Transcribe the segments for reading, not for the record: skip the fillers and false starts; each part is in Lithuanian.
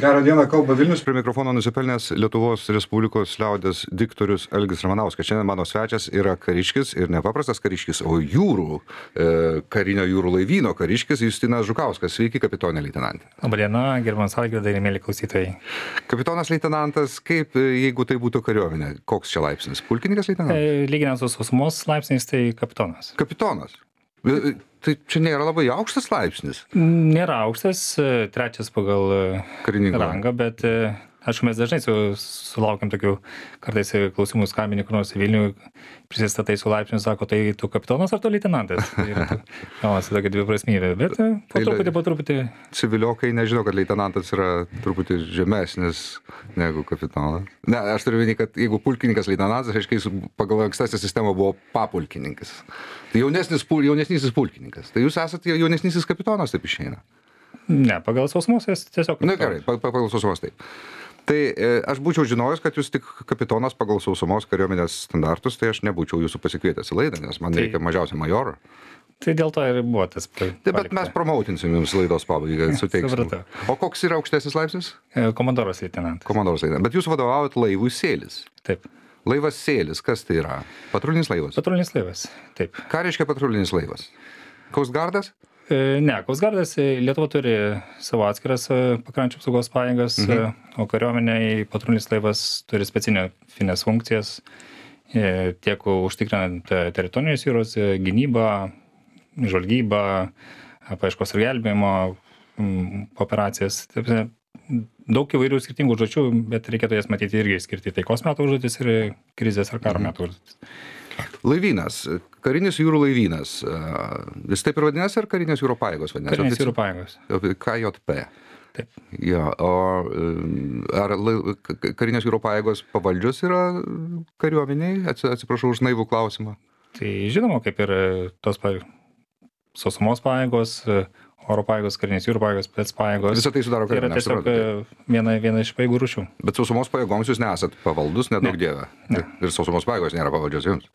Gerą dieną, kalba Vilnius, prie mikrofono nusipelnęs Lietuvos Respublikos liaudės diktorius Algis Ramanauskas. Šiandien mano svečias yra kariškis ir nepaprastas kariškis, o karinio jūrų laivyno kariškis Justinas Žukauskas. Sveiki, kapitonė leitenantė. Labadiena, gerbiamas Algirdai ir mėly klausytojai. Kapitonas leitenantas, kaip jeigu tai būtų kariuomenė, koks čia laipsnis? Pulkininkas leitenantas? Lyginant su sausumos laipsniais, tai kapitonas. Kapitonas. Tai čia nėra labai aukštas laipsnis? Nėra aukštas, trečias pagal Karininko rangą, bet aišku, mes dažnai sulaukiam tokių kartais klausimų skambini kur nors į Vilnių, prisistatai su laipsniu, sako, tai tu kapitonas ar tu leitenantas? Gaunasi tokia dviprasmybė, bet po truputį. Civiliokai nežino, kad leitenantas yra truputį žemesnis negu kapitonas. Ne, aš turiu vienį, kad jeigu pulkininkas leitenantas, reiškia, jis pagal ankstesnę sistemą buvo papulkininkas. Tai jaunesnysis pulkininkas. Tai jūs esate jaunesnysis kapitonas, taip išeina? Ne, pagal sausumos tiesiog. Na gerai, pagal sausumos taip. Tai aš būčiau žinojęs, kad jūs tik kapitonas pagal sausumos kariuomenės standartus, tai aš nebūčiau jūsų pasikvietęs į laidą, nes man reikia mažiausiai majoro. Tai dėl to ir buvo tas. Bet mes promautinsim jums laidos pabaigą, suteiksim. O koks yra aukštesnis laipsnis? Komandoras leitenantas. Komandoras leitenantas. Bet jūs vadovaujat laivui Sėlis. Taip. Laivas Sėlis, kas tai yra? Patrulinis laivas? Patrulinis laivas, taip. Ką reiškia patrulinis laivas? Coastguardas? Ne, Coastguardas Lietuva turi savo atskiras pakrančių apsaugos pajėgas, o kariuomenėje patrulinis laivas turi specifines funkcijas, tiek užtikrinant teritorinės jūros gynybą, žvalgybą, paieškos ir gelbėjimo operacijas. Daug įvairių skirtingų užduočių, bet reikėtų jas matyti irgi skirti taikos metų užduotis ir krizės ar karo metų užduotis. Laivynas, karinis jūrų laivynas. Jis taip ir vadinasi, ar karinės jūro pajėgos vadinasi? Karinės jūro pajėgos. KJP. Taip. Ja, o ar karinės jūro pajėgos pavaldžios yra kariuomeniai? Atsiprašau už naivų klausimą. Tai žinoma, kaip ir tos sausumos pajėgos, oro pajėgos, karinės jūrų pajėgos, spec pajėgos. Visą tai sudaro kariuomenė. Tai yra tiesiog viena iš pajėgų rūšių. Bet sausumos pajėgoms jūs nesat pavaldus, nedaug dievė. Ne. Ir sausumos pajėgos nėra pavaldžios jums.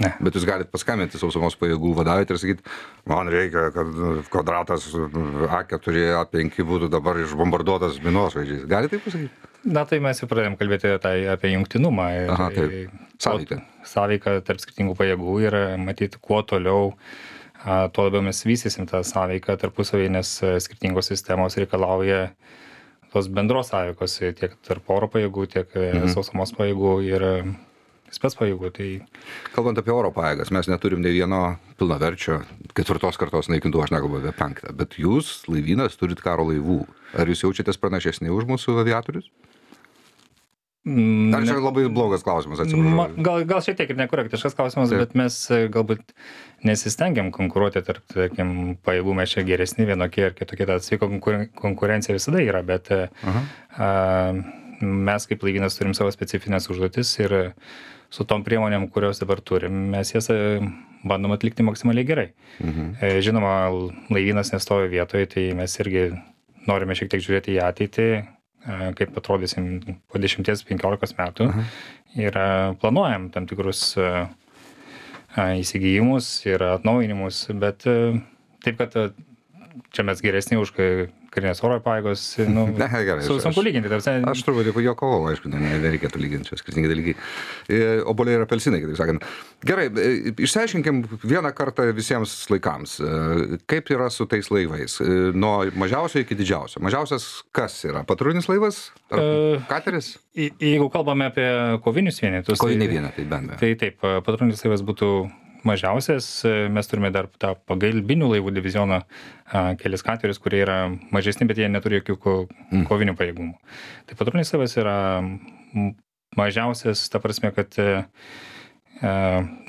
Ne. Bet jūs galite paskambinti sausumos pajėgų vadovui ir sakyti, man reikia, kad kvadratas A4, A5 būtų dabar išbombarduotas minosvaidžiais. Galite taip pasakyti? Na, tai mes jau pradėjom kalbėti apie jungtinumą. Aha, taip. Sąveiką. Sąveiką tarp skirtingų pajėgų ir matyti, kuo toliau, tuo labiau mes vystysim tą sąveiką tarpusavį, nes skirtingos sistemos reikalauja tos bendros sąveikos tiek tarp oro pajėgų, tiek sausumos pajėgų ir spec pajėgų. Tai... Kalbant apie oro pajėgas, mes neturim nei vieno pilnaverčio 4 kartos naikintuvų, aš nekalbu apie 5, bet jūs, laivynas, turit karo laivų. Ar jūs jaučiatės pranašesni už mūsų aviatorius? Ar čia labai blogas klausimas, atsiprašau? Gal šiek tiek ir nekorektiškas klausimas, bet mes galbūt nesistengiam konkuruoti tarp, tarkim, pajėgų, mes čia geresni vienokie ir kitokie, ta sveika konkurencija visada yra, bet mes kaip laivynas turim savo specifines užduotis ir su tom priemonėm, kurios dabar turim, mes jas bandom atlikti maksimaliai gerai. Žinoma, laivynas nestovi vietoje, tai mes irgi norime šiek tiek žiūrėti į ateitį, kaip atrodysim po 10-15 metų ir planuojam tam tikrus įsigijimus ir atnaujinimus, bet taip, kad čia mes geresni už karinės oro pajėgos, sunku lyginti. Aš truputį juokavau, aišku, nereikėtų lyginti, čia skirtingi dalykai. Obuoliai ir apelsinai, kitaip sakant. Gerai, išsiaiškinkim vieną kartą visiems laikams, kaip yra su tais laivais, nuo mažiausio iki didžiausio. Mažiausias kas yra? Patrulinis laivas? Ar kateris? Jeigu kalbame apie kovinius vienetus. Kovinį vienetą, tai bendrai. Tai taip, patrulinis laivas būtų mažiausias, mes turime dar tą pagalbinių laivų divizioną, kelis katerius, kurie yra mažesni, bet jie neturi jokių kovinių pajėgumų. Tai patrulinis laivas yra mažiausias, ta prasme, kad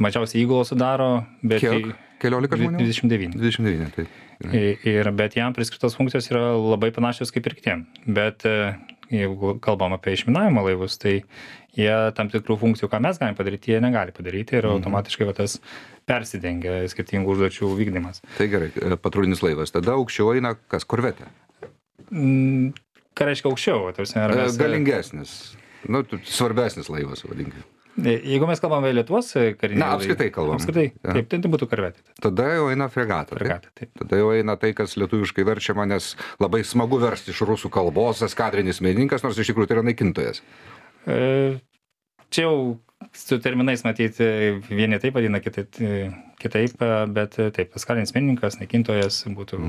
mažiausiai įgulą sudaro, bet... Kiek? 14 žmonių? 29. 29, taip. Bet jam priskirtos funkcijos yra labai panašios kaip ir kitiem. Bet jeigu kalbam apie išminavimo laivus, tai jie tam tikrų funkcijų, ką mes galim padaryti, jie negali padaryti ir automatiškai tas persidengia skirtingų užduočių vykdymas. Tai gerai, patrulinis laivas. Tada aukščiau eina kas? Korvetė? Ką reiškia aukščiau? Galingesnis. Svarbesnis laivas, vadinkime. Jeigu mes kalbame Lietuvos karinį Na, apskritai kalbam. Apskritai, Ja. taip, tai būtų korvetė. Tada jau eina fregata. Fregata, taip. Tada jau eina tai, kas lietuviškai verčiama, nes labai smagu versti iš rusų kalbos, eskadrinis mėlininkas, nors iš tikrųjų tai yra naikintojas. Čia jau su terminais matyti, vieni taip vadina, kitaip, bet taip, eskadrinis mėlininkas, naikintojas būtų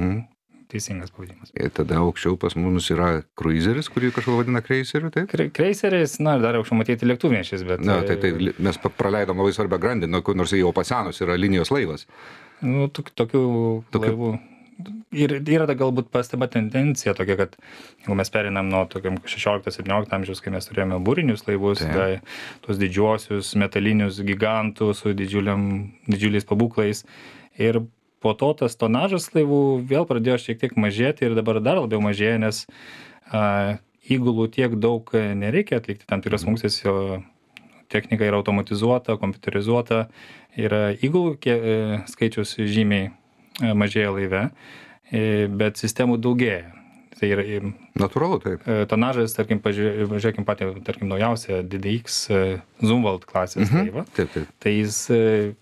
teisingas pavadinimas. Ir tada aukščiau pas mus yra kruizeris, kurį kažką vadina kreiseriu, taip? Kreiseris, na, dar aukščiau matyti lėktuvnešis, bet... Na, tai mes praleidom labai svarbią grandį, nors jau pasenus yra linijos laivas. Nu, tokių laivų. Ir yra galbūt pasteba tendencija tokia, kad jeigu mes perinam nuo tokiam 16-17 amžiaus, kai mes turėjome būrinius laivus, tai tos didžiuosius metalinius gigantų su didžiuliais pabūklais. Ir po to tas tonažas laivų vėl pradėjo šiek tiek mažėti ir dabar dar labiau mažėja, nes įgulų tiek daug nereikia atlikti tam tikras funkcijas, jo technika yra automatizuota, kompiuterizuota ir įgulų skaičius žymiai mažėja laive, bet sistemų daugėja. Tai yra natūralu, taip. Tonažas, tarkim, pažiūrėkim patį, tarkim, naujausią DDX Zumwalt klasės laivą. Taip. Tai jis...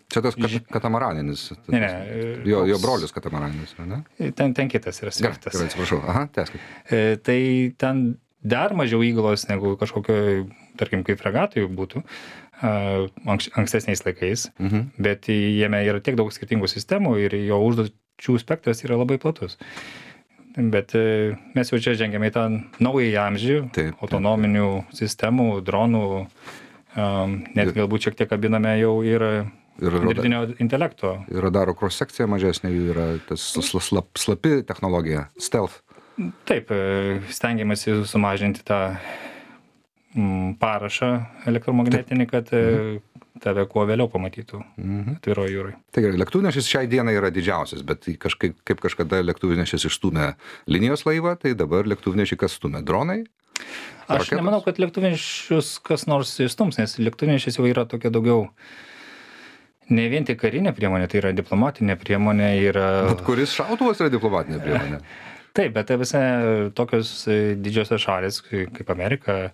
Čia tas katamaraninis. Ne. Jo brolius katamaraninis, ne? Ten kitas yra skirtas. Gerai, atsiprašau. Aha, tęskit. Tai ten dar mažiau įgulos negu kažkokio, tarkim, kaip fregatui būtų ankstesniais laikais, bet jame yra tiek daug skirtingų sistemų ir jo užduočių spektras yra labai platus. Bet mes jau čia žengiame į tą naująjį amžių, autonominių sistemų, dronų, net galbūt šiek tiek kabiname jau ir dirbtinio intelekto. Ir radaro cross-sekcija mažesnė, yra tas slapi technologija, stealth. Taip, stengiamasi sumažinti tą parašą elektromagnetinį, kad tave kuo vėliau pamatytų atviroje jūroje. Tai gerai, lėktuvnešis šiai dienai yra didžiausias, bet kaip kažkada lėktuvnešis išstūmė linijos laivą, tai dabar lėktuvnešį kas stūmė? Dronai? Aš nemanau, kad lėktuvnešius kas nors išstums, nes lėktuvnešis jau yra tokia daugiau ne vien tik karinė priemonė, tai yra diplomatinė priemonė. Bet kuris šautuvas yra diplomatinė priemonė? Taip, bet visai tokios didžiosios šalis kaip Amerika,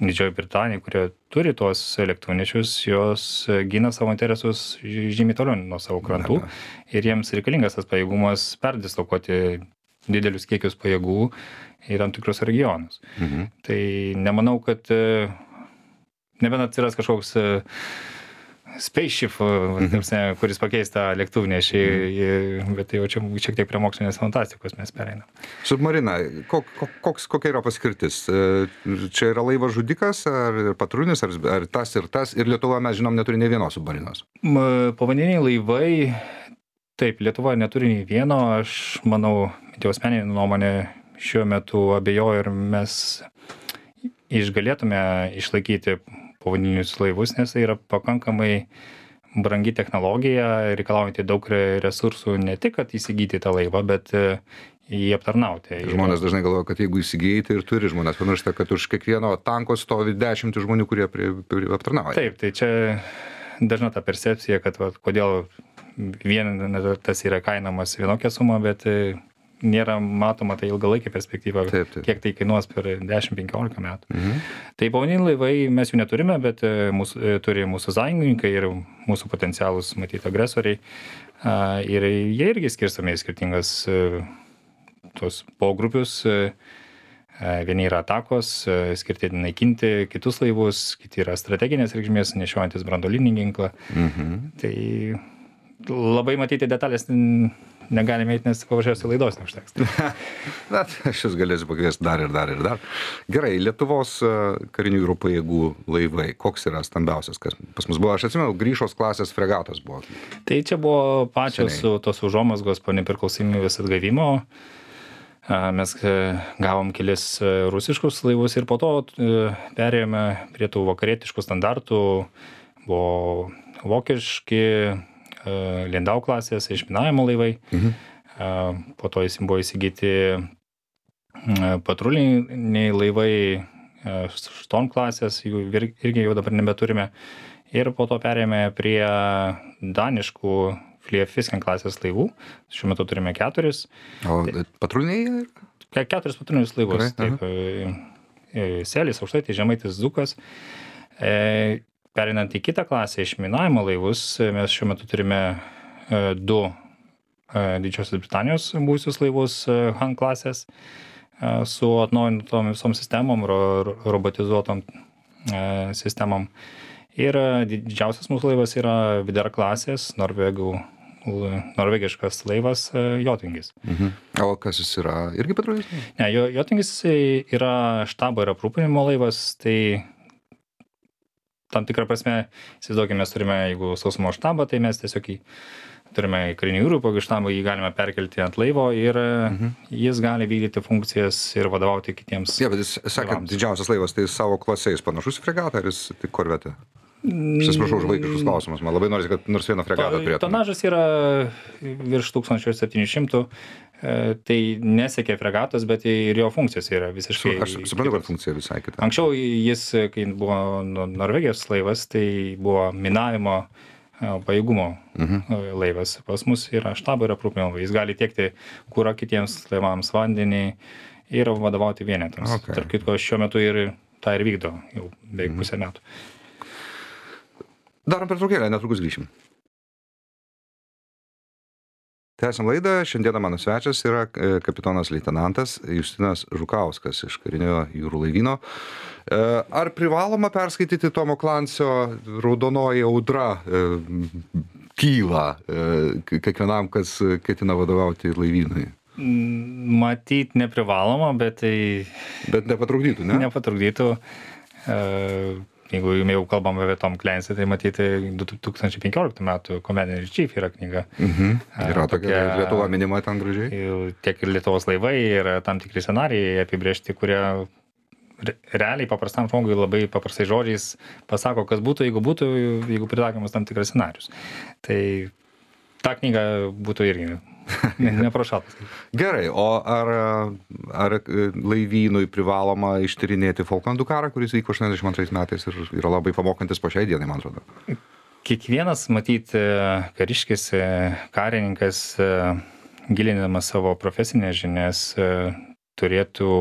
Didžioji Britanija, kurie turi tuos lėktuvnešius, jos gina savo interesus žymiai toliau nuo savo krantų ir jiems reikalingas tas pajėgumas perdislokuoti didelius kiekius pajėgų į tam tikrus regionus. Tai nemanau, kad nebent atsiras kažkoks spaceship, kuris pakeis tą lėktuvnešį, bet tai jau čia šiek tiek prie mokslinės fantastikos mes pereinam. Submarina, kokia yra paskirtis? Čia yra laivas žudikas, ar patrulinis, ar tas, ir Lietuva, mes žinom, neturi nei vienos submarinos? Povandeniniai laivai, taip, Lietuva neturi nei vieno, aš manau, jau asmeninė nuomonė šiuo metu abejoju ir mes išgalėtume išlaikyti povandeninius laivus, nes tai yra pakankamai brangi technologija, reikalaujanti daug resursų ne tik, kad įsigyti tą laivą, bet jį aptarnauti. Žmonės dažnai galvoja, kad jeigu įsigijai, tai ir turi žmonės. Pamiršta, kad už kiekvieno tanko stovi 10 žmonių, kurie aptarnauja. Taip, tai čia dažna ta percepcija, kad kodėl tas yra kainamas vienokia suma, bet nėra matoma tai ilgalaikė perspektyva, kiek tai kainuos per 10-15 metų. Tai povandeniniai laivai mes jų neturime, bet turi mūsų sąjungininkai ir mūsų potencialūs, matyti, agresoriai. Ir jie irgi skirstomi į skirtingas tos pogrupius. Vieni yra atakos, skirti naikinti kitus laivus, kiti yra strateginės reikšmės, nešiojantis branduolinį ginklą. Tai labai matyti detalės negalime eiti, nes paprasčiausiai laidos neužteks. Na, aš jūs galėsiu pakviesti dar. Gerai, Lietuvos karinių jūrų pajėgų laivai, koks yra stambiausias, kas pas mus buvo? Aš atsimenu, Gryšos klasės fregatos buvo. Tai čia buvo pačios tos užuomazgos po nepriklausomybės atgavimo. Mes gavom kelis rusiškus laivus ir po to perėjome prie tų vakarietiškų standartų. Buvo vokiški Lindau klasės išminavimo laivai. Po to buvo įsigyti patruliniai laivai Storm klasės, jų irgi jau dabar nebeturime. Ir po to perėjome prie daniškų Fliefisken klasės laivų. Šiuo metu turime 4. O patruliniai? 4 patrulinius laivus. Taip, Selis, Aukštaitis, Žemaitis, Dzūkas. Perinant į kitą klasę išminavimo laivus, mes šiuo metu turime 2 Didžiosios Britanijos buvusius laivus Han klasės su atnaujintom visom sistemom, robotizuotom sistemom. Ir didžiausias mūsų laivas yra Vidar klasės, norvegiškas laivas Jotingis. O kas jis yra? Irgi patrulis? Ne, Jotingis yra štabo ir aprūpinimo laivas, tai tam tikrą prasme, įsivaizduokime, mes turime, jeigu sausumo štabą, tai mes tiesiog turime karinių jūrų pajėgų štabą, jį galime perkelti ant laivo ir jis gali vykdyti funkcijas ir vadovauti kitiems. Bet jis sakė, didžiausias laivas, tai savo klase jis panašus į fregatą, ar jis tik korvetė? Aš atsiprašau už vaikiškus klausimus, man labai norisi, kad nors vieną fregatą turėtume. Tonažas yra virš 1700, tai nesiekia fregatos, bet ir jo funkcijos yra visiškai. Aš suprantu, kad funkcija visai kita. Anksčiau jis, kai buvo Norvegijos laivas, tai buvo minavimo pajėgumo laivas. Pas mus yra štabo ir aprūpinimo. Jis gali tiekti kurą kitiems laivams, vandenį ir vadovauti vienetams. Tarp kitko, šiuo metu ir tą ir vykdo jau beveik pusę metų. Darom pertraukėlę, netrukus grįšim. Tęsiam laidą. Šiandieną mano svečias yra kapitonas leitenantas Justinas Žukauskas iš karinio jūrų laivyno. Ar privaloma perskaityti Tomo Klansio Raudonoji audra kyla kiekvienam, kas ketina vadovauti laivynui? Matyt, neprivaloma, bet tai... Bet nepatrukdytų, ne? Nepatrukdytų. Jeigu jau kalbam apie Tom Clancy, tai matyti 2015 metų Commander in Chief yra knyga. Yra tokia Lietuva minima ten gražiai. Tiek ir Lietuvos laivai, ir tam tikri scenarijai apibrėžti, kurie realiai paprastam žmogui labai paprastai žodžiais pasako, kas būtų, jeigu pritaikomas tam tikras scenarius. Tai ta knyga būtų irgi neprašatas. Gerai, o ar laivynui privaloma ištyrinėti Falklandų karą, kuris vyko 82 metais ir yra labai pamokantis po šiai dienai, man atrodo? Kiekvienas, matyt, kariškis, karininkas, gilinamas savo profesinės žinias, turėtų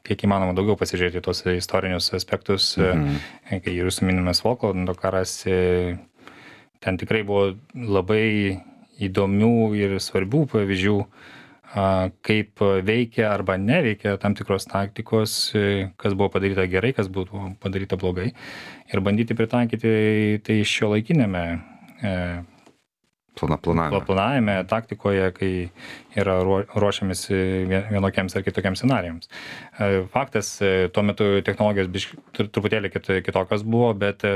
kiek įmanoma daugiau pasižiūrėti tos istorinius aspektus. Kai jūsų minimas Falklandų karas, ten tikrai buvo labai įdomių ir svarbių pavyzdžių, kaip veikia arba neveikia tam tikros taktikos, kas buvo padaryta gerai, kas buvo padaryta blogai, ir bandyti pritaikyti tai šiuolaikinėme planavime, taktikoje, kai yra ruošiamasi vienokiems ar kitokiems scenarijams. Faktas, tuo metu technologijos truputėlį kitokios buvo, bet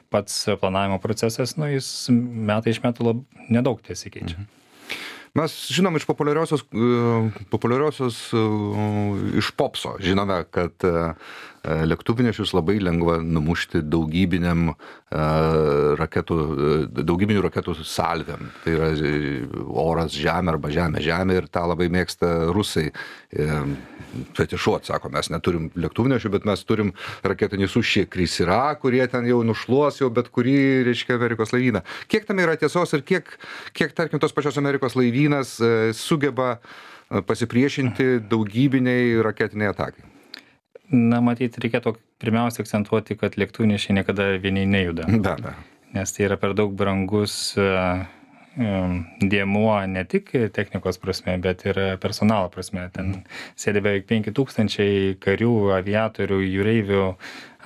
pats planavimo procesas, jis metai iš metų nedaug tesikeičia. Mes žinom iš populiariosios iš popso, žinome, kad lėktuvnešius labai lengva numušti daugybinių raketų salvėm. Tai yra oras žemė arba žemė ir tą labai mėgsta rusai fetišuot, sako, mes neturim lėktuvnešių, bet mes turim raketinį sušį Krysira, kurie ten jau nušluos jau bet kurį, reiškia, Amerikos laivyną. Kiek tam yra tiesos ir kiek tarkim, tos pačios Amerikos laivynas sugeba pasipriešinti daugybiniai raketiniai atakai? Matyt, reikėtų pirmiausia akcentuoti, kad lėktuvnešiai niekada vieni nejuda. Be. Nes tai yra per daug brangus dėmuo ne tik technikos prasme, bet ir personalo prasme. Ten sėdi beveik 5000 karių, aviatorių, jūreivių,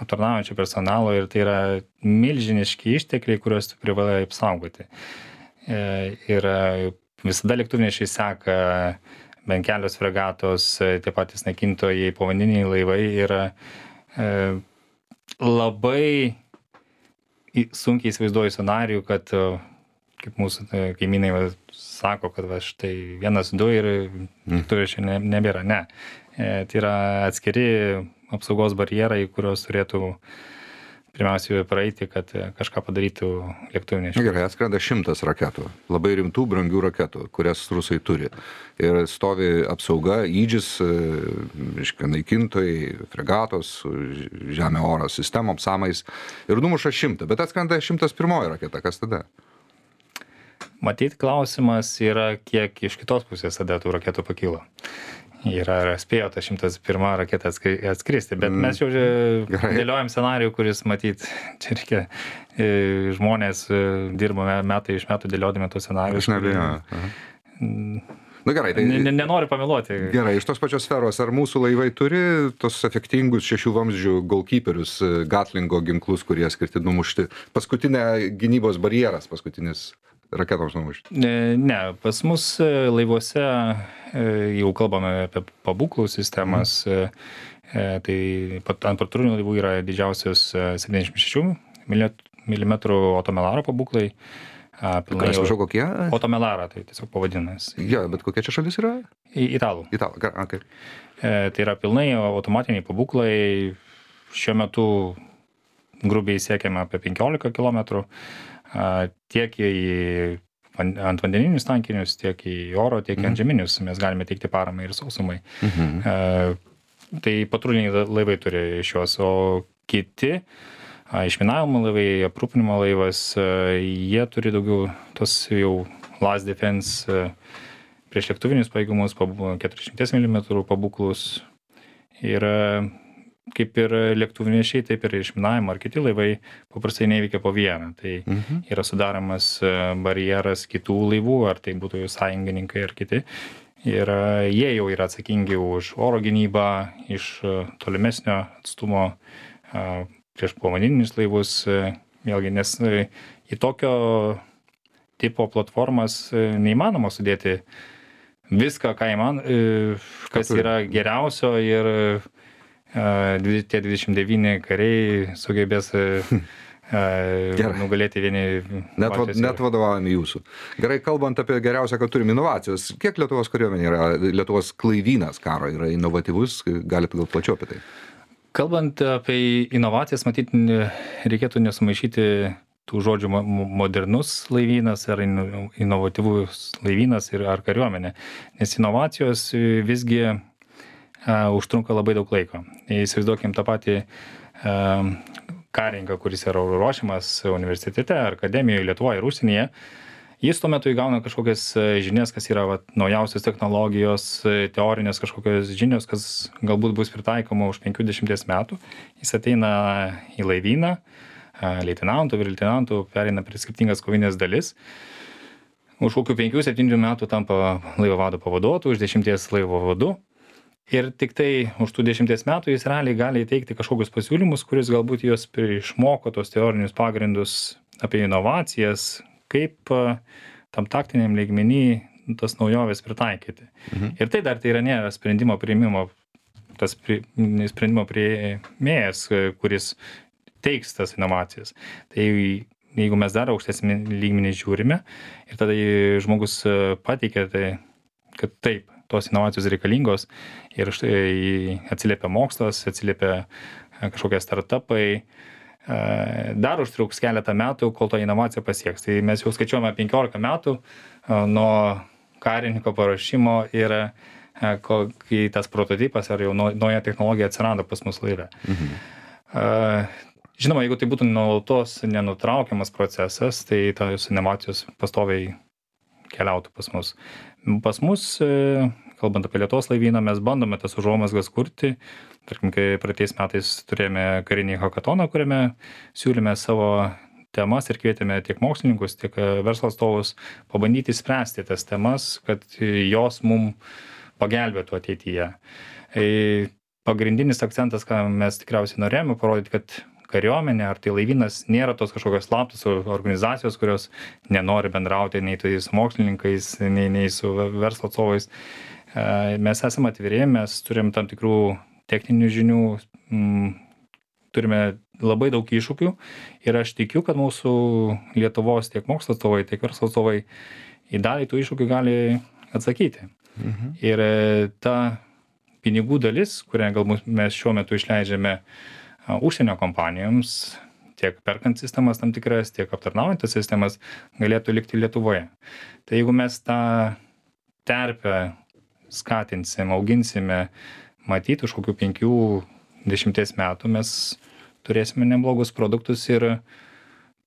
aptarnaujančių personalo, ir tai yra milžiniški ištekliai, kuriuos tu privalai apsaugoti. Ir visada lėktuvnešiai seka bent kelios fregatos, tie patys naikintojai, povandeniniai laivai, ir labai sunkiai įsivaizduoju scenarijų, kad, kaip mūsų kaimynai sako, kad štai 1-2 ir lėktuvnešių nebėra. Ne. Tai yra atskiri apsaugos barjerai, kurios turėtų pirmiausiai praeiti, kad kažką padarytų lėktuvnešiai. Gerai, atskrenda 100 raketų, labai rimtų, brangių raketų, kurias rusai turi. Ir stovi apsauga, įdžis, naikintojai, fregatos, žemė oro sistemom, samais, ir numuša 100, bet atskrenda 101 raketa, kas tada? Matyt, klausimas yra, kiek iš kitos pusės tada tų raketų pakilo. yra spėjo tą 101 raketą atskristi, bet mes jau dėliojam scenarijų, kuris matyt, čia reikia žmonės dirbame metai iš metų dėliodami tos scenarijus. Aš nebejoju. Na gerai, tai nenoriu pameluoti. Gerai, iš tos pačios sferos, ar mūsų laivai turi tos efektingus 6 vamzdžių goalkeeperius, Gatlingo ginklus, kurie skirti numušti paskutinę gynybos barjeras, paskutinis raketoms numušti? Ne, pas mus laivuose jau kalbame apie pabūklų sistemas, tai ant patrulių laivų yra didžiausios 76 mm Otomelaro pabūklai. Atsiprašau, kokie? Otomelara, tai tiesiog pavadinas. Jo, bet kokia čia šalis yra? Italų. Okay. Tai yra pilnai automatiniai pabūklai. Šiuo metu grubiai siekiame apie 15 km. Tiek ant vandeninius tankinius, tiek į oro, tiek ant žeminius. Mes galime teikti paramą ir sausumai. Tai patruliniai laivai turi šios, o kiti išminavimo laivai, aprūpinimo laivas, jie turi daugiau tos jau last defense prieš lėktuvinius pajėgumus, 400 mm pabūklus. Ir kaip ir lėktuvnešiai, taip ir išminavimo ar kiti laivai paprastai neveikia po vieną. Tai yra sudaromas barjeras kitų laivų, ar tai būtų jų sąjungininkai ar kiti. Ir jie jau yra atsakingi už oro gynybą iš tolimesnio atstumo prieš povandeninius laivus, vėlgi, nes į tokio tipo platformas neįmanoma sudėti viską, kas yra geriausio ir tie 29 kariai sugebės nugalėti vieni. Net vadovaujami jūsų. Gerai, kalbant apie geriausią, kad turim inovacijos, kiek Lietuvos kariuomenė yra, Lietuvos laivynas karo yra inovatyvus, galite gal plačiau apie tai? Kalbant apie inovacijas, matyt, reikėtų nesumaišyti tų žodžių modernus laivynas ar inovatyvus laivynas ar kariuomenė, nes inovacijos visgi užtrunka labai daug laiko. Įsivaizduokim tą patį karininką, kuris yra ruošiamas universitete ar akademijoje Lietuvoje ir užsienyje. Jis tuo metu įgauna kažkokias žinias, kas yra naujausios technologijos, teorinės kažkokios žinios, kas galbūt bus pritaikoma už 50 metų. Jis ateina į laivyną, leitenantų, vyr-leitenantų, pereina prie skirtingas kovinės dalis. Už kokių 5-7 metų tampa laivo vado pavaduotoju, už 10 laivo vadu. Ir tik tai už tų 10 metų jis realiai gali įteikti kažkokius pasiūlymus, kuris galbūt jos išmoko tos teorinius pagrindus apie inovacijas, kaip tam taktiniam lygmenį tas naujoves pritaikyti. Ir tai dar tai yra nėra sprendimo priėmimo, tas sprendimo priėmėjas, kuris teiks tas inovacijas. Tai jeigu mes dar aukštesnį lygmenį žiūrime ir tada žmogus pateikia, tai, kad taip, tos inovacijos reikalingos ir štai atsiliepia mokslas, atsiliepia kažkokie startupai, dar užtruks keletą metų, kol to inovacija pasieks. Tai mes jau skaičiuojame 15 metų nuo karininko paruošimo ir kai tas prototipas ar jau nauja technologija atsirado pas mus laive. Žinoma, jeigu tai būtų nuolatos nenutraukiamas procesas, tai tos inovacijos pastoviai keliautų pas mus. Pas mus, kalbant apie Lietuvos laivyną, mes bandome tas užuomazgas kurti. Tarkim, kai praeitais metais turėjome karinį hakatoną, kuriame siūlėme savo temas ir kvietėme tiek mokslininkus, tiek verslo atstovus pabandyti spręsti tas temas, kad jos mums pagelbėtų ateityje. Pagrindinis akcentas, ką mes tikriausiai norėjome parodyti, kad kariuomenė ar tai laivynas nėra tos kažkokios slaptos organizacijos, kurios nenori bendrauti nei tai su mokslininkais, nei su verslo atstovais. Mes esame atviri, mes turim tam tikrų techninių žinių, turime labai daug iššūkių ir aš tikiu, kad mūsų Lietuvos tiek mokslo atstovai, tiek verslo atstovai į dalį tų iššūkių gali atsakyti. Ir ta pinigų dalis, kurią galbūt mes šiuo metu išleidžiame užsienio kompanijoms, tiek perkant sistemas tam tikras, tiek aptarnaujant tas sistemas, galėtų likti Lietuvoje. Tai jeigu mes tą terpę skatinsim, auginsime, matyti už kokių 5-10 metų mes turėsime neblogus produktus ir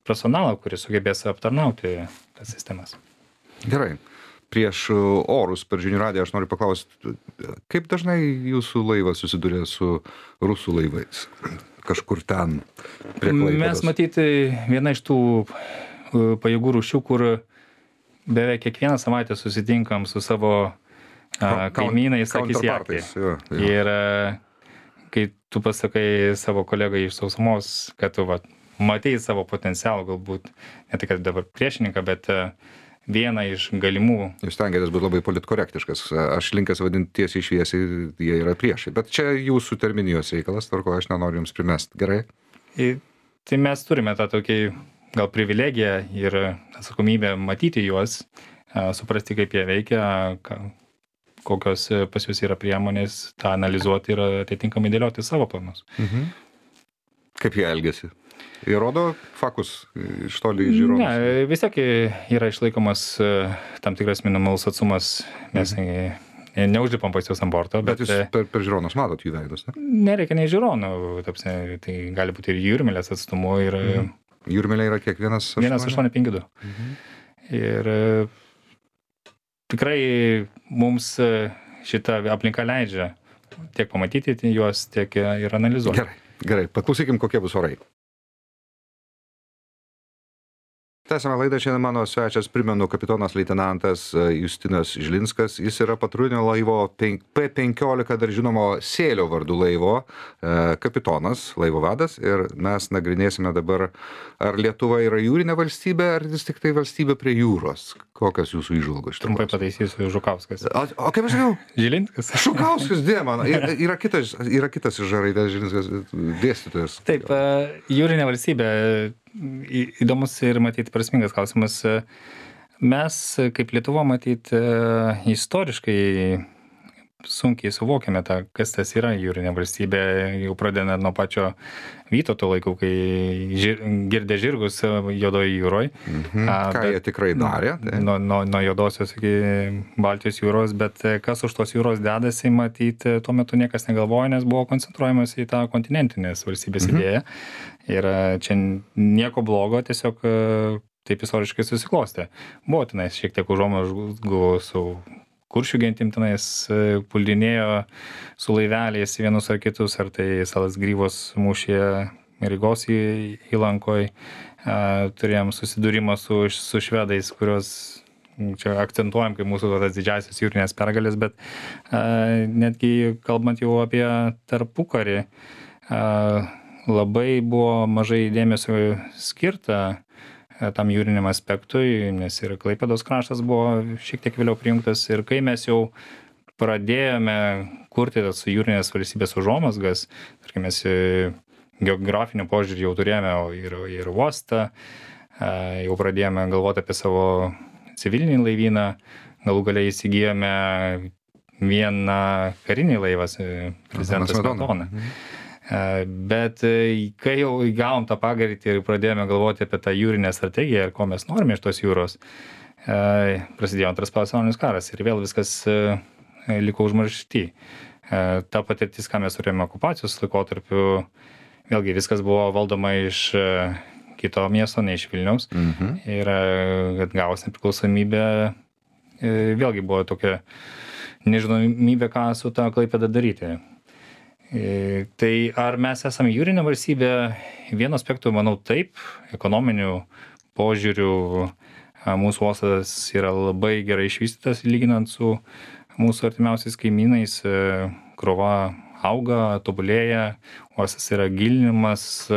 personalą, kuris sugebės aptarnauti tas sistemas. Gerai. prieš orus per žinių radiją aš noriu paklausti, kaip dažnai jūsų laivas susiduria su rusų laivais? Kažkur ten prie Klaipėdos. Mes matyti viena iš tų pajėgų rūšių, kur beveik kiekvieną savaitę susitinkam su savo kaimynais akis į akį. Ir kai tu pasakai savo kolegai iš sausumos, kad tu matei savo potencialą, galbūt ne tik dabar priešininką, bet vieną iš galimų. Jūs stengiatės būti labai politkorektiškas. Aš linkęs vadinti tiesiai šviesiai, jie yra priešai. Bet čia jūsų terminijos reikalas, tvarko, aš nenoriu jums primesti. Gerai? Tai mes turime tą tokį gal privilegiją ir atsakomybę matyti juos, suprasti, kaip jie veikia, kokios pas jūs yra priemonės, tą analizuoti ir atitinkamai dėlioti savo planus. Kaip jie elgiasi? Jie rodo fakus iš toli žiūrovus? Ne, vis tiek yra išlaikomas tam tikras minimalus atsumas, mes neužlipam pas juos ant borto. Bet jūs per žiūronus matot jų veidus, ne? Nereikia nei žiūronų, tai gali būti ir jūrmėlės atstumu. Jūrmėlė yra kiek 1,852. Ir tikrai mums šita aplinka leidžia tiek pamatyti juos, tiek ir analizuoti. Gerai, paklausykim, kokie bus orai. Tęsiame laidą, šiandien mano svečias, primenu, kapitonas leitenantas Justinas Žilinskas, jis yra patrulinio laivo P15, dar žinomo Sėlio vardu laivo kapitonas, laivo vadas, ir mes nagrinėsime dabar, ar Lietuva yra jūrinė valstybė, ar vis tik tai valstybė prie jūros. Kokios jūsų įžvalgos? Trumpai pataisysiu, Žukauskas. O kaip aš sakiau? Žilinskas. Žukauskas, dėman. Yra kitas iš raidės Žilinskas dėstytojas. Taip, jūrinė valstybė. Įdomus ir matyti prasmingas klausimas. Mes, kaip Lietuva, matyti istoriškai sunkiai suvokiame kas tas yra jūrinė valstybė, jau pradedant nuo pačio Vytauto laikų, kai girdė žirgus Juodoje jūroje. Ką jie tikrai darė? Nuo Juodosios iki Baltijos jūros, bet kas už tos jūros dedasi, matyti, tuo metu niekas negalvoja, nes buvo koncentruojamas į tą kontinentinės valstybės idėją. Ir čia nieko blogo, tiesiog taip istoriškai susiklostė. Buvo tenais šiek tiek užuomazgų su kuršių gentim, tenais puldinėjo su laiveliais vienus ar kitus, ar tai Salas Grybos mūšyje Rygos įlankoj. Turėjom susidūrimą su švedais, kurios čia akcentuojam kaip mūsų tas didžiausias jūrinės pergalės, bet netgi kalbant jau apie tarpukarį, labai buvo mažai dėmesio skirta tam jūriniam aspektui, nes ir Klaipėdos kraštas buvo šiek tiek vėliau prijungtas. Ir kai mes jau pradėjome kurti tas jūrinės valstybės užuomazgas, tarkim, mes geografiniu požiūrį jau turėjome ir uostą, jau pradėjome galvoti apie savo civilinį laivyną, galų gale įsigijome vieną karinį laivą, prezidentas Smetona. Bet kai jau įgavom tą pagreitį ir pradėjome galvoti apie tą jūrinę strategiją ir ko mes norime iš tos jūros, prasidėjo Antras pasaulinis karas ir vėl viskas liko užmaršty. Ta patirtis, ką mes turėjome okupacijos laikotarpiu, vėlgi viskas buvo valdoma iš kito miesto, ne iš Vilniaus. Ir kad gavus nepriklausomybę, vėlgi buvo tokia nežinomybė, ką su tą Klaipėda daryti. Tai ar mes esame jūrinė valstybė? Vienu aspektu, manau, taip, ekonominių požiūrių mūsų uostas yra labai gerai išvystytas, lyginant su mūsų artimiausiais kaimynais. Krova auga, tobulėja, uostas yra gilinimas,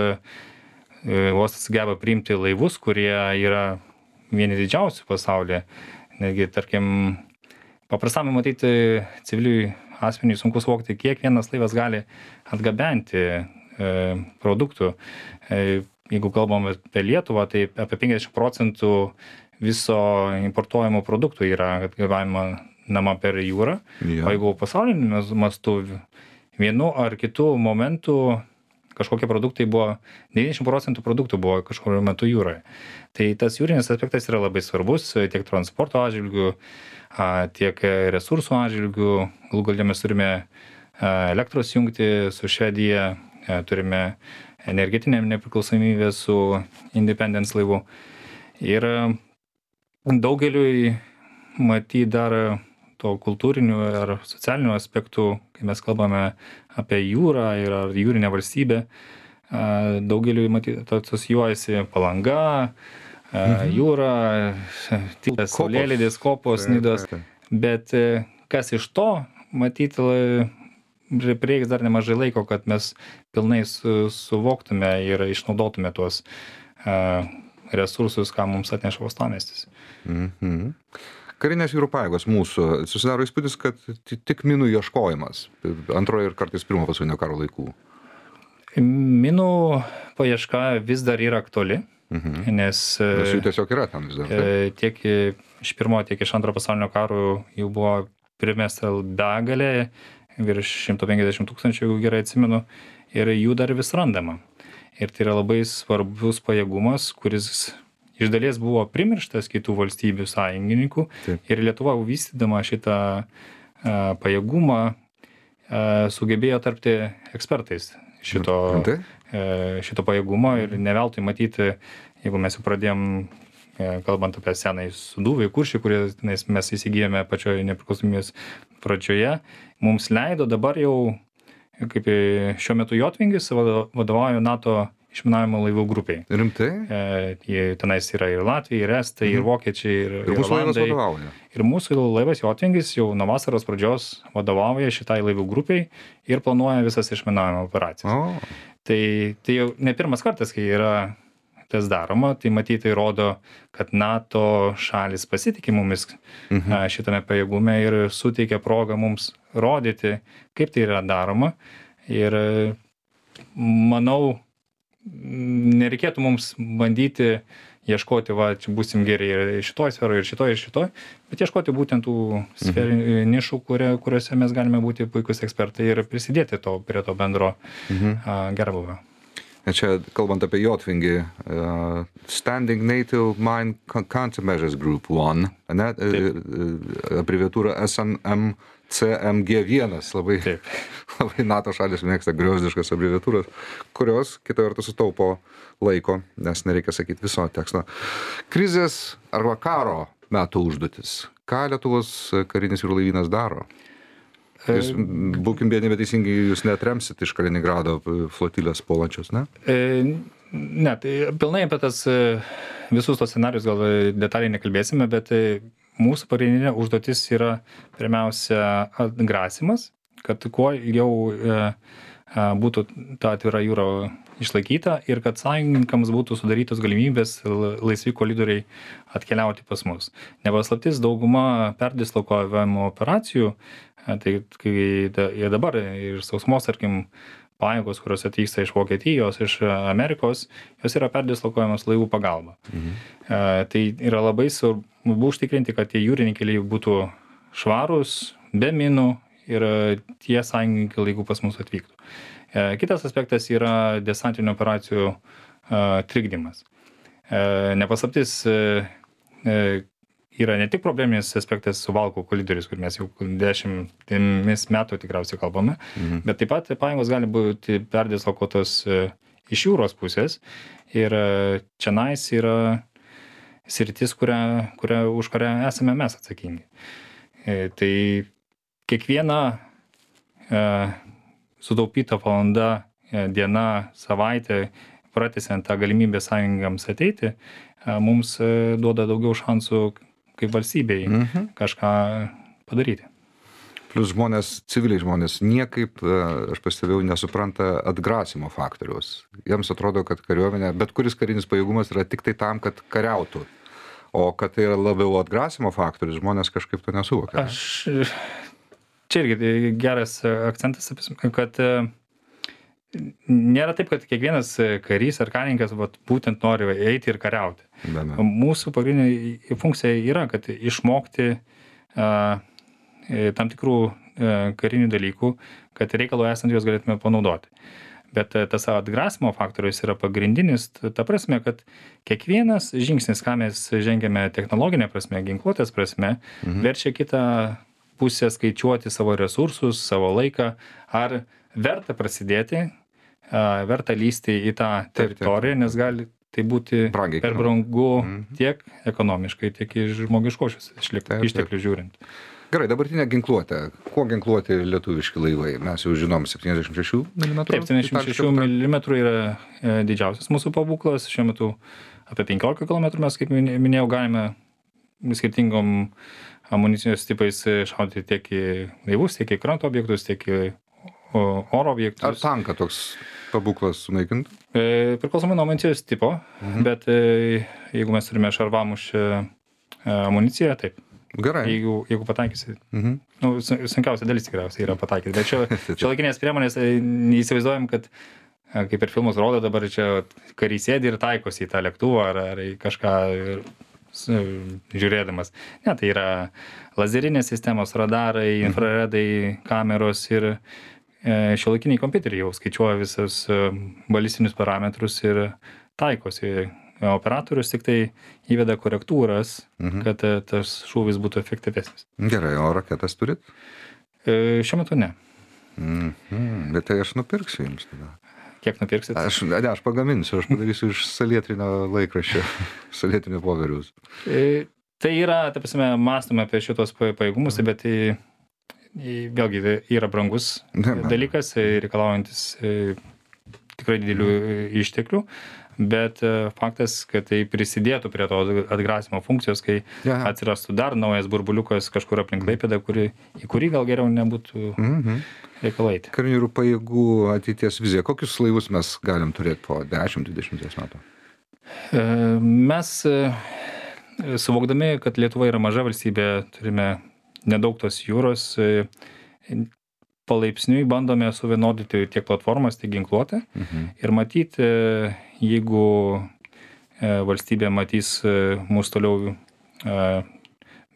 uostas geba priimti laivus, kurie yra vieni didžiausių pasaulyje. Netgi, tarkim, paprastam matyti civiliui asmeniui sunku suvokti, kiek vienas laivas gali atgabenti produktų. Jeigu kalbam apie Lietuvą, tai apie 50% viso importuojamo produktų yra atgabenama per jūrą. O jeigu pasauliniu mastu vienu ar kitu momentu kažkokie produktai buvo, 90% produktų buvo kažkuriuo metu jūroje. Tai tas jūrinis aspektas yra labai svarbus tiek transporto atžvilgių, tiek resursų atžvilgių. Galų gale mes turime elektros jungtį su Švedija, turime energetinę nepriklausomybę su Independence laivu. Ir daugeliui matyti dar to kultūrinių ar socialinių aspektų, kai mes kalbame apie jūrą ir ar jūrinę valstybę. Daugeliu matyti asocijuojasi Palanga, jūra, Saulėlydis, Kopos, Nidos. Bet kas iš to, matyti, prireiks dar nemažai laiko, kad mes pilnai suvoktume ir išnaudotume tuos resursus, ką mums atneša uostamiestis. Karinės jūrų pajėgos mūsų, susidaro įspūdis, kad tik minų ieškojimas antrojo ir kartais pirmo pasaulinio karo laikų. Minų paieška vis dar yra aktuali, nes jų tiesiog yra ten vis dar. Tiek iš pirmo, tiek iš antro pasaulinio karo jau buvo primesta begalė, virš 150 000, jeigu gerai atsimenu, ir jų dar vis randama. Ir tai yra labai svarbus pajėgumas, kuris iš dalies buvo primirštas kitų valstybių sąjungininkų. Taip. Ir Lietuva vystydama šitą pajėgumą sugebėjo tarpti ekspertais šito pajėgumo. Ir ne veltui matyti, jeigu mes jau pradėjom, kalbant apie senąjį Sūduvą, Kuršį, kurį mes įsigijome pačioje nepriklausomybės pradžioje, mums leido dabar jau, kaip šiuo metu Jotvingis vadovauja NATO išminavimo laivų grupiai. Rimtai? Tenais yra ir Latvija, ir Estai, ir Vokiečiai, ir mūsų laivas vadovauja. Ir mūsų laivas Jotvingis jau nuo vasaros pradžios vadovauja šitai laivų grupiai ir planuoja visas išminavimo operacijas. Tai jau ne pirmas kartas, kai yra tas daroma, tai matyti rodo, kad NATO šalis pasitikė mumis šitame pajėgume ir suteikia progą mums rodyti, kaip tai yra daroma. Ir manau, nereikėtų mums bandyti ieškoti, čia būsim geri ir šitoj sferoje, ir šitoj, bet ieškoti būtent tų sferinių nišų, kuriuose mes galime būti puikus ekspertai ir prisidėti prie to bendro gerbūvio. Čia, kalbant apie Jotvingį, Standing NATO Mine Countermeasures Group 1, abreviatūra SNMCMG1, labai NATO šalis mėgsta griozdiškas abreviatūras, kurios, kita vertus, sutaupo laiko, nes nereikia sakyti viso teksto. Krizės arba karo metų užduotis. Ką Lietuvos karinis jūrų laivynas daro? Jūs, būkim vieni, bet teisingai, jūs neatremsit iš Kaliningrado flotilės puolančios, ne? Ne, tai pilnai apie tas visus tos scenarius gal detaliai nekalbėsime, bet mūsų pagrindinė užduotis yra pirmiausia atgrasimas, kad kuo ilgiau būtų ta atvira jūra išlaikyta ir kad sąjungininkams būtų sudarytos galimybės laisvi koridoriai atkeliauti pas mus. Nepaslaptis, dauguma perdislokuojamų operacijų, tai kai jie dabar ir sausumos, tarkim, pajėgos, kurios atvyksta iš Vokietijos, iš Amerikos, jos yra perdislokuojamos laivų pagalba. Tai yra labai svarbu užtikrinti, kad tie jūriniai keliai būtų švarūs, be minų ir tie sąjungininkai laiku pas mus atvyktų. Kitas aspektas yra desantinių operacijų trikdymas. Nepaslaptis, yra ne tik probleminis aspektas Suvalkų koridorius, kur mes jau 10 metų tikriausiai kalbame, bet taip pat pajėgos gali būti perdislokuotos iš jūros pusės ir čionais yra sritis, už kurią esame mes atsakingi. Tai kiekviena sutaupyta valanda, diena, savaitė, pratęsiant tą galimybę sąjungams ateiti, mums duoda daugiau šansų kaip valstybei kažką padaryti. Plus civiliai žmonės niekaip, aš pastebėjau, nesupranta atgrasimo faktoriaus. Jiems atrodo, kad kariuomenė, bet kuris karinis pajėgumas yra tik tai tam, kad kariautų. O kad tai yra labiau atgrasimo faktorius, žmonės kažkaip to nesuvokia. Čia irgi geras akcentas, kad nėra taip, kad kiekvienas karys ar karininkas būtent nori eiti ir kariauti. Mūsų pagrindinė funkcija yra, kad išmokti tam tikrų karinių dalykų, kad reikalų esant juos galėtume panaudoti. Bet tas atgrasimo faktorius yra pagrindinis, ta prasme, kad kiekvienas žingsnis, ką mes žengiame technologinė prasme, ginkluotės prasme, verčia kitą pusę skaičiuoti savo resursus, savo laiką, ar verta prasidėti, verta lysti į tą teritoriją, nes gali tai būti Brangiai per kainuoja. brangu tiek ekonomiškai, tiek iš žmogiškosios Taip. išteklių žiūrint. Gerai, dabartinė ginkluotė. Kuo ginkluoti lietuviški laivai? Mes jau žinom 76 mm. Taip, 76 mm yra didžiausias mūsų pabūklas. Šiuo metu apie 15 km mes, kaip minėjau, galime skirtingom amunicijos tipais šaudyti tiek į laivus, tiek į kranto objektus, tiek į oro objektus. Ar tanką toks pabūklas sunaikintų? Priklausomai nuo amunicijos tipo, bet jeigu mes turime šarvamušę amuniciją, taip. Gerai. Jeigu pataikysi. Sunkiausia dalis tikriausiai yra pataikyti. Bet čia laikinės priemonės, neįsivaizduojam, kad kaip ir filmus rodo, dabar čia kariai sėdi ir taikosi į tą lėktuvą ar į kažką žiūrėdamas. Ne, tai yra lazerinės sistemos, radarai, infraredai, kameros ir šiuolaikiniai kompiuteriai jau skaičiuoja visus balistinius parametrus ir taikosi. Operatorius tik tai įveda korektūras, kad tas šūvis būtų efektyvesnis. Gerai, o raketas turit? Šiuo metu ne. Bet tai aš nupirksiu jums tada. Kiek nupirksit? Aš pagaminsiu, aš padarysiu iš salietrinio laikraščio, salietrinio popieriaus. Tai yra, ta prasme, mąstome apie šitos pajėgumus, bet vėlgi yra brangus dalykas, reikalaujantis tikrai didelių išteklių. Bet faktas, kad tai prisidėtų prie to atgrasimo funkcijos, kai atsirastų dar naujas burbuliukas kažkur aplink Klaipėdą, į kurį gal geriau nebūtų reikalaiti. Karinių jūrų pajėgų ateities vizija. Kokius laivus mes galim turėti po 10-20 metų? Mes, suvokdami, kad Lietuva yra maža valstybė, turime nedaug tos jūros, palaipsniui bandome suvienodyti tiek platformas, tiek ginkluotę. Ir matyti, jeigu valstybė matys mūsų toliau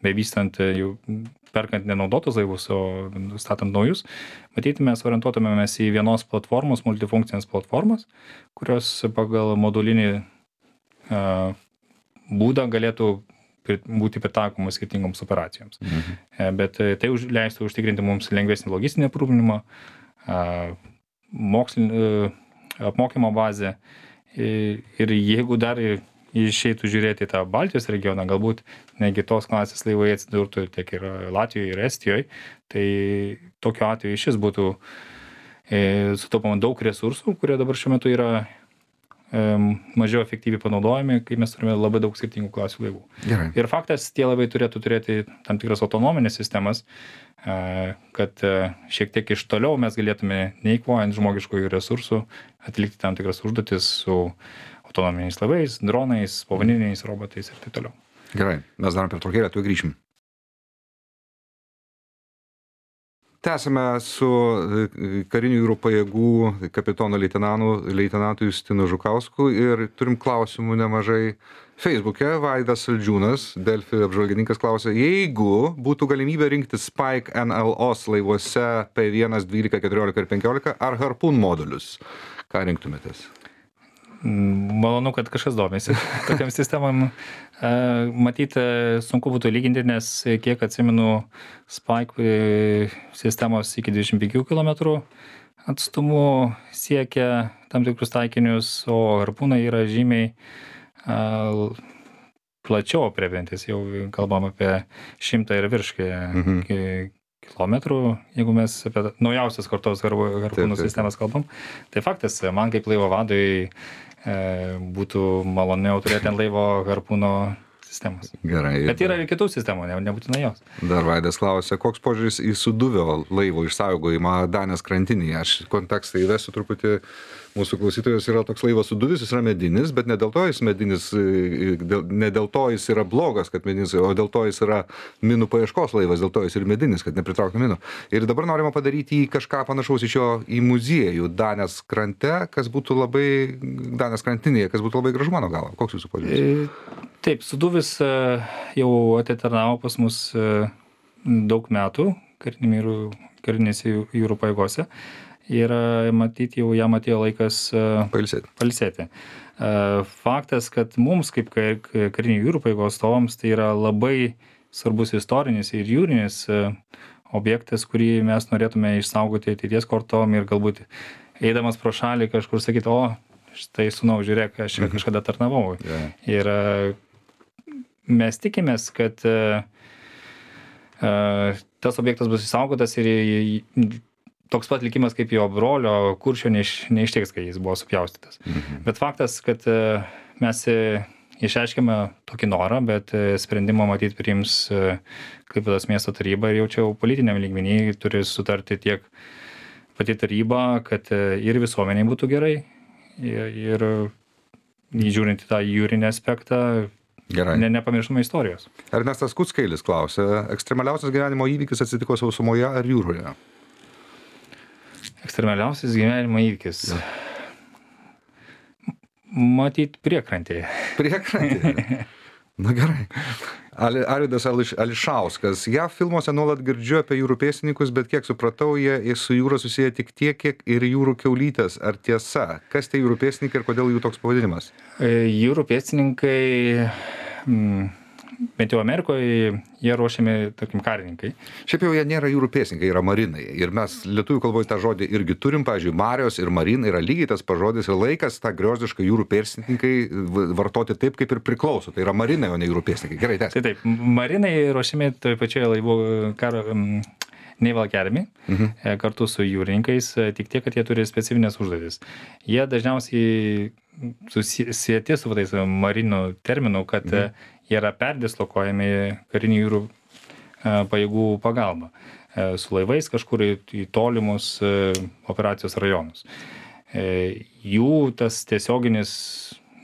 bevystant, jau perkant nenaudotus laivus, o statant naujus, matyti mes orientuotumėmės į vienos platformos, multifunkcinės platformas, kurios pagal modulinį būdą galėtų būti pritaikomos skirtingoms operacijoms. Bet tai leistų užtikrinti mums lengvesnį logistinį aprūpinimą, apmokymo bazę. Ir jeigu dar išeitų žiūrėti tą Baltijos regioną, galbūt negi tos klasės laivai atsidurtų tiek ir Latvijoje, ir Estijoje, tai tokiu atveju šis būtų sutaupama daug resursų, kurie dabar šiuo metu yra mažiau efektyviai panaudojami, kai mes turime labai daug skirtingų klasių laivų. Gerai. Ir faktas, tie laivai turėtų turėti tam tikras autonominės sistemas, kad šiek tiek iš toliau mes galėtume, neįkvojant žmogiškųjų resursų, atlikti tam tikras užduotis su autonominiais laivais, dronais, povandeniniais robotais ir taip toliau. Gerai, mes darom pertraukėlę, tuoj grįšim. Tęsime su karinių jūrų pajėgų kapitono leitenantu Justinu Žukausku ir turim klausimų nemažai. Facebook'e Vaidas Saldžiūnas, Delfi apžvalgininkas, klausė, jeigu būtų galimybė rinkti Spike NLOs laivuose P1, 12, 14 ir 15 ar Harpoon modulius, ką rinktumėtės? Malonu, kad kažkas domėsi tokiam sistemam. Matyti, sunku būtų lyginti, nes kiek atsimenu, Spike sistemos iki 25 km atstumu siekia tam tikrus taikinius, o Harpoonai yra žymiai plačiau aprėpiantis, jau kalbam apie 100 ir virš kilometrų, jeigu mes apie naujausias kartos Harpoonų sistemas kalbam. Tai faktas, man kaip laivo vadui būtų maloniau turėti ant laivo Harpoono sistemas. Gerai. Bet yra ir kitų sistemų, nebūtinai jos. Dar Vaidas klausė, koks požiūris į Sūduvio laivo išsaugojimą Danės krantinėje. Aš kontekstą įvesiu truputį. Mūsų klausytojas yra toks laivas Sūduvis, jis yra medinis, bet ne dėl to jis medinis, ne dėl to jis yra blogas, kad medinis, o dėl to jis yra minų paieškos laivas, dėl to jis ir medinis, kad nepritrauktų minų. Ir dabar norima padaryti kažką panašaus iš jo į muziejų Danės krante, kas būtų labai, Danės krantinėje, kas būtų labai gražu mano galva. Koks jūsų požiūris? Taip, Sūduvis jau atitarnavo pas mus daug metų karinėse jūrų pajėgose. Ir matyti jau jam atėjo laikas pailsėti. Faktas, kad mums kaip karinių jūrų pajėgų atstovams tai yra labai svarbus istorinis ir jūrinis objektas, kurį mes norėtume išsaugoti ateities kartom ir galbūt eidamas pro šalį kažkur sakyti, štai sūnau, žiūrėk, aš čia kažkada tarnavau. Ir mes tikimės, kad tas objektas bus išsaugotas ir toks pat likimas kaip jo brolio Kuršio neištiks, kai jis buvo supjaustytas. Bet faktas, kad mes išreiškėme tokį norą, bet sprendimą matyt priims Klaipėdos miesto taryba ir jau čia politiniam lygmenį turi sutarti tiek pati taryba, kad ir visuomeniai būtų gerai ir žiūrint į tą jūrinį aspektą, nepamirštume istorijos. Ernestas Kuckailis klausia, ekstremaliausias gyvenimo įvykis atsitiko sausumoje ar jūroje? Ekstremaliausias gyvenimo įvykis. Matyt, priekrantėje. Priekrantėje? Na gerai. Arvydas Ališauskas. JAV filmuose nuolat girdžiu apie jūrų pėstininkus, bet kiek supratau, jie su jūra susiję tik tiek, kiek ir jūrų kiaulytės. Ar tiesa? Kas tai jūrų pėstininkai ir kodėl jų toks pavadinimas? Jūrų pėstininkai, bent jau Amerikoje, jie ruošiami, tarkim, karininkai. Šiaip jau jie nėra jūrų pėstininkai, yra marinai. Ir mes lietuvių kalboje tą žodį irgi turim, pavyzdžiui, marios ir marinai yra lygiai tas pažodis ir laikas tą griozdišką jūrų pėstininkai vartoti taip, kaip ir priklauso. Tai yra marinai, o ne jūrų pėstininkai. Gerai, tęsk. Taip, marinai ruošiami toje pačioje laivų karo Naval Academy, kartu su jūrininkais, tik tiek, kad jie turi specifinės užduotis. Jie dažniausiai susijęti su tais marinų terminų, kad jie yra perdislokuojami karinių jūrų pajėgų pagalba su laivais kažkur į tolimus operacijos rajonus. Jų tas tiesioginis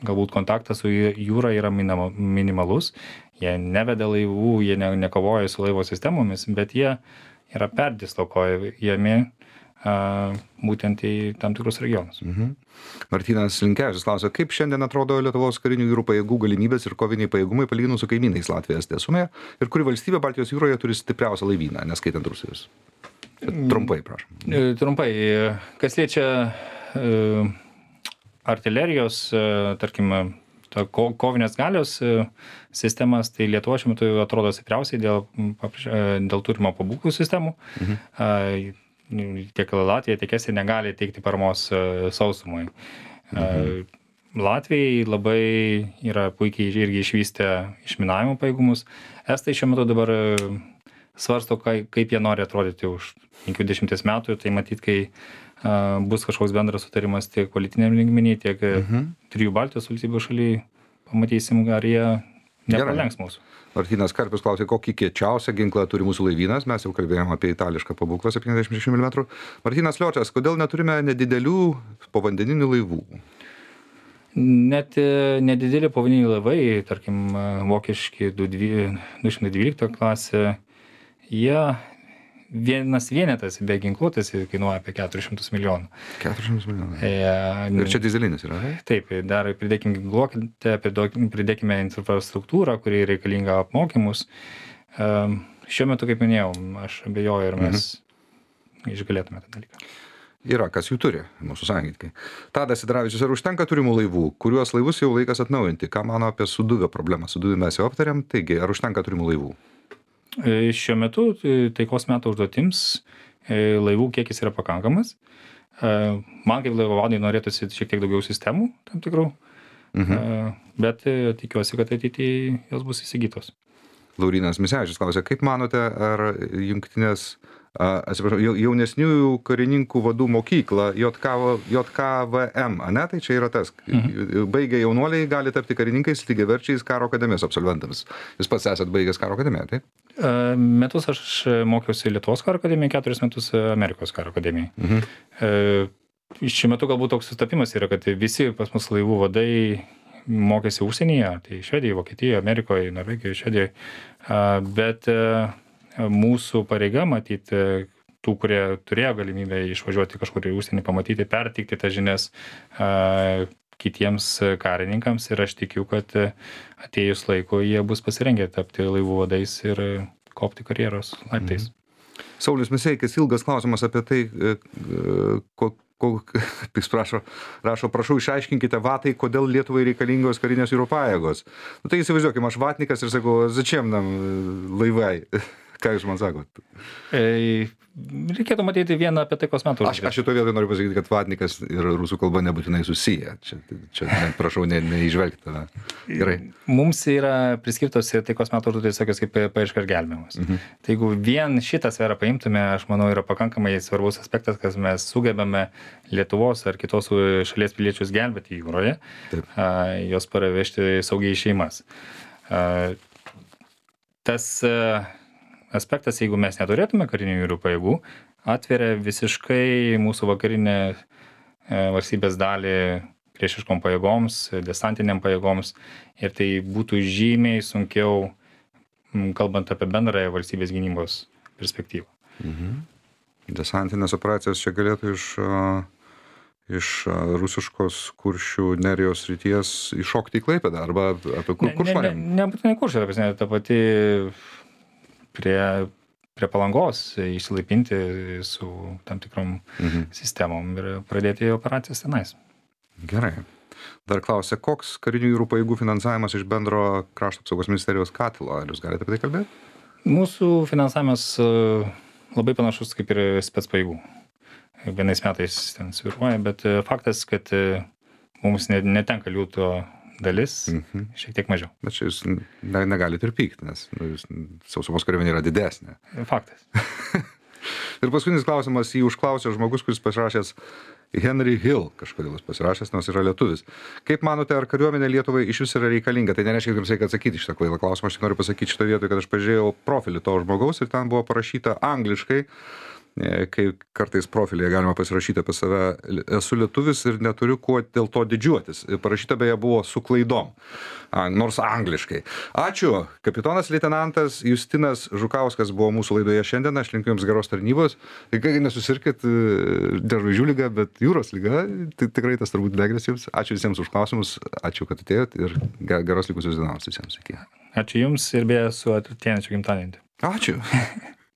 galbūt kontaktas su jūra yra minimalus, jie neveda laivų, jie nekovoja su laivo sistemomis, bet jie yra perdislokuojami būtent į tam tikrus regionus. Martynas Linkevičius klausia, kaip šiandien atrodo Lietuvos karinių jūrų pajėgų galimybės ir koviniai pajėgumai palyginus su kaimynais Latvijos Estija ir kuri valstybė Baltijos jūroje turi stipriausią laivyną, neskaitant Rusijos? Trumpai, prašom. Trumpai. Kas liečia artilerijos, tarkim, kovinės galios sistemas, tai Lietuva šiuo metu atrodo stipriausiai dėl turimo pabūklų sistemų. Tiek Latvija, tiek Estija negali teikti paramos sausumui. Latvijai labai yra puikiai irgi išvystę išminavimo pajėgumus. Estai šiuo metu dabar svarsto, kaip jie nori atrodyti už 50 metų, tai matyt, kai bus kažkoks bendras sutarimas tiek politiniam lygmenį, tiek trijų Baltijos valstybių šaly, pamatysim, ar jie nepralenks mūsų. Martynas Karpius klausė, kokį kiečiausią ginklą turi mūsų laivynas. Mes jau kalbėjome apie itališką pabūklą 76 mm. Martynas Liočias, kodėl neturime nedidelių povandeninių laivų? Net nedideli povandeniniai laivai, tarkim, vokiški 212 klasė, jie vienas vienetas be ginkluotės kainuoja apie 400 milijonų. 400 milijonų. Ir čia dizelinis yra, ne? Taip, dar pridėkime ginkluotę, pridėkime infrastruktūrą, kuri reikalinga apmokymus. Šiuo metu, kaip minėjau, aš abejoju ir mes išgalėtume tą dalyką. Yra, kas jų turi, mūsų sąjungininkai. Tadas Sidravičius, ar užtenka turimų laivų, kuriuos laivus jau laikas atnaujinti? Ką mano apie Suduvio problemą? Suduvį mes jau aptarėm, taigi, ar užtenka turimų laivų? Šiuo metu taikos metų užduotims laivų kiekis yra pakankamas. Man kaip laivo vadui norėtųsi šiek tiek daugiau sistemų tam tikrų, bet tikiuosi, kad ateityje jos bus įsigytos. Laurinas Misevičius klausė, kaip manote, ar jaunesniųjų karininkų vadų mokykla JKVM, ane? Tai čia yra tas. Baigę jaunuoliai gali tapti karininkais lygiaverčiais karo akademijos absolventams. Jūs pats esat baigęs karo akademiją, taip? Metus aš mokiausi Lietuvos karo akademiją, 4 metus Amerikos karo akademiją. Šiuo metu galbūt toks sutapimas yra, kad visi pas mus laivų vadai mokėsi užsienyje, tai Švedijoje, Vokietijoje, Amerikoje, Norvegijoje, Švedijoje, bet mūsų pareiga matyti tų, kurie turėjo galimybę išvažiuoti kažkur į užsienį, pamatyti, perteikti tas žinias kitiems karininkams ir aš tikiu, kad atėjus laiko jie bus pasirengę tapti laivų vadais ir kopti karjeros laiptais. Saulius Miseikis, ilgas klausimas apie tai, rašo, prašau, išaiškinkite vatai, kodėl Lietuvai reikalingos karinės jūrų pajėgos. Tai įsivaizduokime, aš vatnikas ir sakau, začiem nam laivai. Ką jūs man sakot? Reikėtų matyti vieną apie taikos metų. Aš šitoje vietoje noriu pasakyti, kad vatnikas ir rusų kalba nebūtinai susiję. Čia prašau, neižvelgti. Gerai. Mums yra priskirtos ir taikos metų užduotys tokios kaip paieška ir gelbėjimas. Tai jeigu vien šitą sferą paimtume, aš manau, yra pakankamai svarbus aspektas, kad mes sugebame Lietuvos ar kitos šalies piliečius gelbėti jūroje, jos paravežti saugiai į šeimas. Tas aspektas, jeigu mes neturėtume karinių jūrų pajėgų, atveria visiškai mūsų vakarinę valstybės dalį priešiškom pajėgoms, desantiniam pajėgoms ir tai būtų žymiai sunkiau, kalbant apie bendrąją valstybės gynybos perspektyvą. Desantinės operacijos čia galėtų iš rusiškos Kuršių nerijos srities iššokti į Klaipėdą arba apie Kuršmarę? Nebūtinai Kuršmarė, ta pati prie Palangos išsilaipinti su tam tikrom sistemom ir pradėti operacijas tenais. Gerai. Dar klausia, koks karinių jūrų pajėgų finansavimas iš bendro krašto apsaugos ministerijos katilo? Ar jūs galite apie tai kalbėti? Mūsų finansavimas labai panašus kaip ir spec pajėgų. Vienais metais ten svyruoja, bet faktas, kad mums netenka liūto dalis, šiek tiek mažiau. Bet čia jūs negalite ir pykti, nes sausumos kariuomenė yra didesnė. Faktas. Ir paskutinis klausimas, jį užklausė žmogus, kuris pasirašęs Henry Hill, kažkodėl jis pasirašęs, nors yra lietuvis. Kaip manote, ar kariuomenė Lietuvai iš vis yra reikalinga? Tai nereiškia, kad jums reikia atsakyti šitą kvailą klausimą. Aš tik noriu pasakyti šitą vietą, kad aš pažiūrėjau profilį to žmogaus ir ten buvo parašyta angliškai, kai kartais profilyje galima pasirašyti apie save, esu lietuvis ir neturiu kuo dėl to didžiuotis. Parašyta beje buvo su klaidom, nors angliškai. Ačiū. Kapitonas leitenantas Justinas Žukauskas buvo mūsų laidoje šiandien. Aš linkiu jums geros tarnybos. Kai nesusirkit žvaigždžių liga, bet jūros liga, tai tikrai tas turbūt negres jums. Ačiū visiems už klausimus. Ačiū, kad atėjot ir geros likusios dienos visiems. Iki. Ačiū jums ir beje su ateinančiu gimtadieniu. Ačiū.